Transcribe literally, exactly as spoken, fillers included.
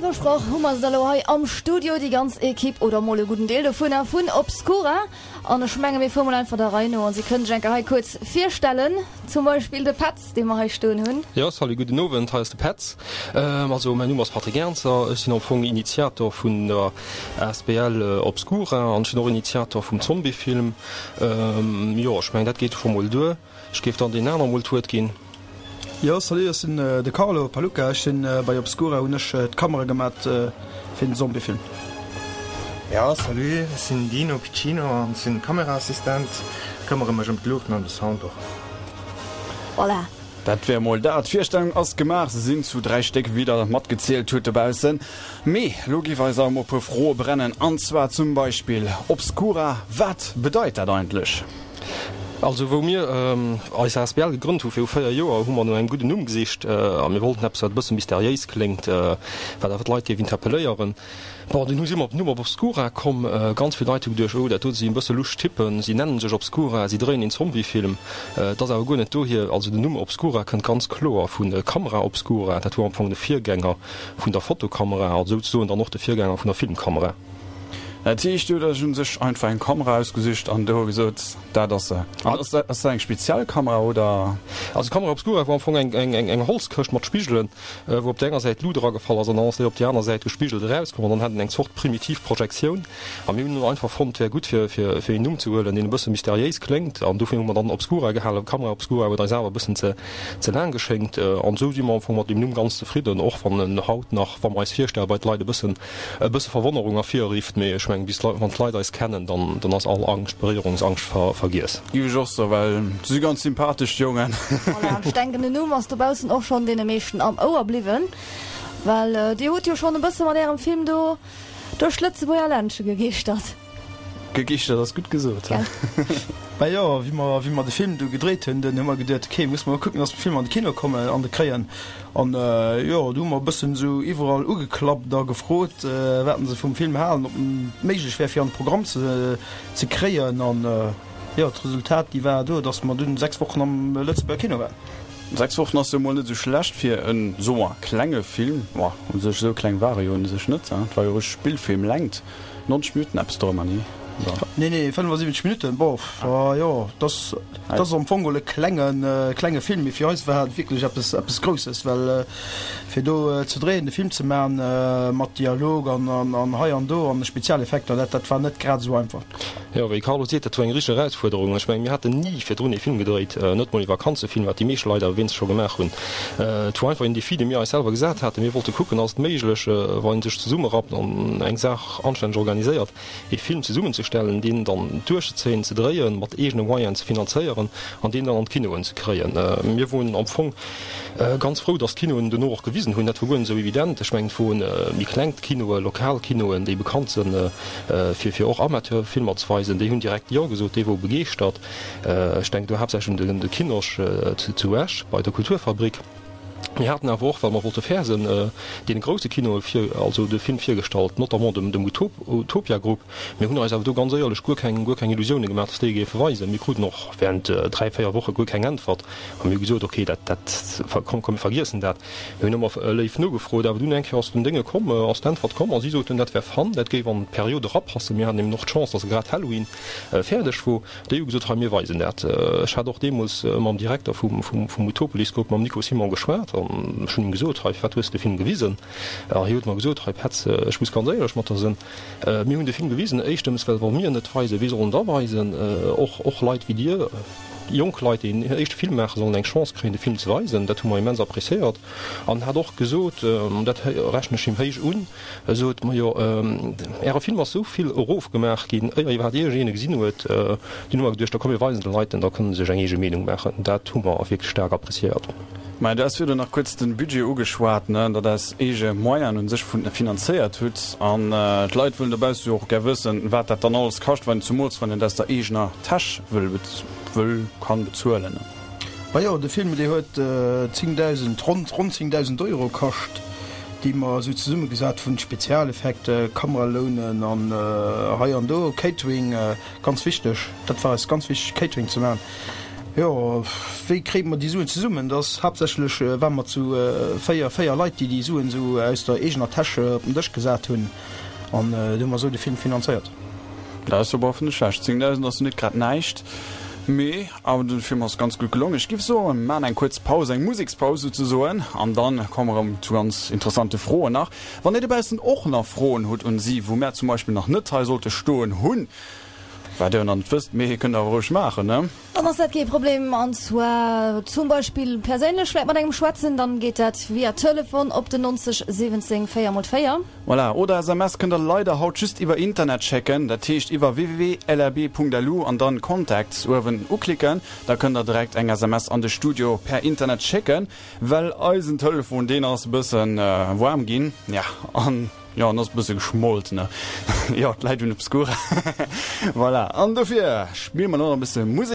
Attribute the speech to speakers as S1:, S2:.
S1: versprach, hu mer se da lo hei am Studio, déi ganz Equipe, oder mol e gudden Deel dovunner, vun Obscura. An ech menge mir fuere mol einfach der Rei no an si kënnen sech eng Kéier hei kuerz virstellen. Zum Beispill de Petz, dee mer hei stoen hunn.
S2: Jo, salut, gudden Owend, hei ass de Petz. Also mäin Numm ass Patrick Ernzer, ech sinn am Fong Initiator vun der asbl Obscura an ech sinn och Initiator vum Zombiefilm. Jo, ech mengen dat geet scho mol duer. Ech géif dann deenen aner mol d'Wuert ginn.
S3: Jo, salut, ech sinn de Carlo Palucca, ech sinn bei Obscura, hunn ech d'Kamera gemat fir den Zombiefilm.
S4: Jo, salut, ech sinn Dino Piccino an sinn Kameraassistent, këmmere mech ëm d'Luuchten an de Sound och.
S1: Voilà.
S5: Dat wär mol dat. D'Virstellung ass gemaach, se sinn zu dräi Stéck, wéi der matgezielt hutt dobaussen. Mee lo géif eis awer mol e puer Froe brennen, an zwar zum Beispill, Obscura, wat bedeit dat eigentlech?
S2: Also wou mir eis asbl gegrënnt hu viru véier Joer, hu mer no engem gudden Numm gesicht a mir wollten eppes wat e bësse mysteriéis kléngt, wat awer d'Leit géif interpelléieren. Bon, dunn hu si mer op den Numm Obscura komm. Ganz vill Leit hu geduecht, oh dat do si e bësse lusch Typpen, si nennen sech Obscura, si dréien een Zombiefilm. Et ass awer guer net dohier. Also den Numm Obscura kënnt ganz kloer vu Camera Obscura, dat wor am Fong de Virgänger vun der Fotokamera, also souzesoen dann och de Virgänger vun der Filmkamera.
S5: Dat heescht, Dir hutt Iech un sech einfach eng Kamera ausgesicht an do gesot, dat ass se. An ass dat eng speziell Kamera oder?
S2: Also d'Camera obscura war am Fong eng eng Holzkëscht mat Spigelen, wou op der enger Säit d'Lut eragefall ass an dann ass déi op déi aner Säit gespigelt erauskomm an dann hat een eng Zort primitiv Projektioun. A mir hunn einfach fonnt, et wär gutt fir fir een Numm ze huelen, deen e bësse mysteriéis kléngt an dofir hu mer dann Obscura gehalen. Camera obscura huet eis awer e bëssen ze ze laang geschéngt an esou si mer am Fong mat deem Numm ganz zefridden, och wann en haut nach, wa mer eis virstelle bei d'Leit, e bëssen e bësse Verwonnerung ervirrifft, mee ech mengen, bis d'Leit, wann d'Leit eis kennen, dann, dann ass all Angscht, Beréierungsangscht ver, vergiess.
S5: Giff ech och soen, well se si ganz sympathesch, d'Jongen.
S1: Voilà, an ech denken, den Numm ass dobaussen och schonn deene meeschten am Ouer bliwwen, well Dir hutt jo schonn e bësse mat Ärem Film do duerch d'Lëtzebuerger Ländche gegeeschtert.
S5: Gegichtert ass gutt gesot.
S1: Gell?
S3: Majo, wéi mer, wéi mer de Film du gedréit hunn, dunn hu mer geduet, ok, musse mer mol kucken, dass mer de Film an de Kino kommen, an de kréien. An jo, du hu mer e bëssen esou iwwerall ugeklappt a gefrot, wat se vum Film halen, ob en méiglech wär, fir an de Programm ze, ze kréien. An jo, d'Resultat, déi war do, dass mer dunn sechs Wochen am Lëtzebuerger Kino waren.
S5: Sechs Wochen ass jo mol net esou schlecht fir en, soe mer, klenge Film. Boah, u sech esou kleng war e jo u sech net, hein, et war jo e Spillfilmlängt. Nonzeg Minutten eppes dorëmmer, nee?
S3: Oder? Nee, nee, fënnefasiwwenzeg Minutten. Bof, jo, dat ass, dat ass am Fong geholl e klengen, klenge Film, mee fir eis war et wierklech eppes, eppes Grousses, well fir do ze dréien, de Film ze man mat Dialog an, an, an hei an do an Spezialeffekter, dat, dat war net grad esou einfach.
S2: Jo, wéi Carlo seet, dat war eng richteg Erausfuerderung. Ech mengen, mir haten ni virdrun ee Film gedréit, net mol ee Vakanzefilm, wat déi meescht Leit awer wéinst scho gemaach hunn. Et war einfach een Defi, dee mir eis selwer gesat haten. Mir wollte kucken, ass et méiglech, wann ee sech zesummerappt an eng Saach anstänneg organiséiert, ee Film zesummenzestellen, deen dann duerchzezéien, ze dréien, mat eegene Moyenen ze finanzéieren an deen dann an d'Kinoen ze kréien. Mir woren am Fong ganz frou, dass d'Kinoen duerno och gewisen hunn. Dat wor guer net esou evident. Ech mengen, et woren méi kleng Kinoen, lokal Kinoen, déi bekannt sinn, fir fir och Amateurfilmer ze weisen. Déi hunn direkt Jo gesot, déi wore begeeschtert. Ech denken do haaptsächlech un de Kinosch zu Esch bei der Kulturfabrik. Mir haten awer och, well mer wollte fair sinn, deene grousse Kinoe vir, also de Film virgestallt, notamment dem dem Utopia Group. Mir hunn eis awer do ganz éierlech guer keng guer keng Illusioune gemaach, dass déi e géife weisen. Mir kruten och während dräi, véier Woche guer keng Äntwert a mir hu gesot, okay, dat dat komm komm mir vergiessen dat. Mir hunn ëmmer léif nogefrot, awer dunn eng Kéier ass den Dénge komm, ass d'Äntwert komm a si soten, dat wär fun, dat géif an d'Period erapassen. Mir haten eben och d'Chance, dass grad Halloween fäerdeg wor. Déi hu gesot, hei mir weisen dat. Ech hat och deemools mam Direkter vum vum Utopolis Group, mam Nico Simon geschwat an ech hunn him gesot, hei firwat hues de de Film gewisen? A hie huet mer gesot, hei Petz, ech muss ganz éierlech mat der sinn, mir hunn de Film gewisen, éischtens well wa mir en net weisen, wee soll en da weisen? Och och Leit wéi dir, jonk Leit déi en éischte Film maachen, sollen eng Chance kréien de Film ze weisen. Dat hu mer immens appréciéiert. An hat och gesot, an dat rechnen ech him héich un, e sot, Majo, Äre Film ass esou vill erofgemaach ginn, éier iwwerhaapt iergendeen e gesinn huet. Dunn hu mer geduecht, da komm mir weisen de Leit en, da kënne se sech eng eege Meenung maachen. Dat hu mer wierklech staark appréciéiert.
S5: Mä du has virdu nach kuerz de Budget ugeschwat, ne, datt Der aus eege Moyenen u sech finanzéiert hutt. An d'Leit wëllen dobausse jo och gär wëssen, wat dat dann alles kascht, wann, zumools wann een et aus der eegener Täsch wëll, wëll, kann bezuelen.
S3: Majo, de Film, dee huet zéngdausend, ronn, ronn zéngdausend Euro kascht, déi mer esou zesummegesat hunn, Spezialeffekte, Kameralounen an hei an do, Catering, ganz wichteg, dat war eis ganz wichteg, Catering ze maachen. Jo, wéi kréie mer déi Suen zesummen? Dat ass haaptsächlech, ware mer zu véier, véier Leit, déi déi Suen esou aus der eegener Täsch op den Dësch gesat hunn. An du hu mer esou de Film finanzéiert.
S5: Dat ass jo bof net schlecht. Zéngdausend ass jo net grad näischt. Mee awer de Film ass ganz gutt gelongen. Ech giff soen, mer maachen eng kuerz Paus, eng Musekspaus souzesoen, an dann komme mer erëm zu ganz interessante Froen nach. Wann dir dobaussen och nach Froen hutt un si, wou mär zum Beispill nach net hei sollte stoen hunn, wat dir jo nach net wësst, mee kënnt der awer roueg maachen, ne?
S1: Dann ass dat kee Problem. An zwar zum Beispill perséinlech vläit mat engem schwätzen, dann geet dat via Telefon op den neunzeg siwwenzéng véier mol véier.
S5: Voilà, oder S M S kënnt der leider haut just iwwer Internet schécken, dat heescht iwwer W W W Punkt L R B Punkt L U an dann Contacts uewen uklicken, da kënnt der direkt eng S M S an de Studio per Internet schécken, well eisen Telefon deen ass e bëssen waarm ginn, ja, an jo, en ass e bësse geschmolt, ne, jo, d'Leit hunn Obscura, voilà, an dofir spille mer lo nach e bësse Musek.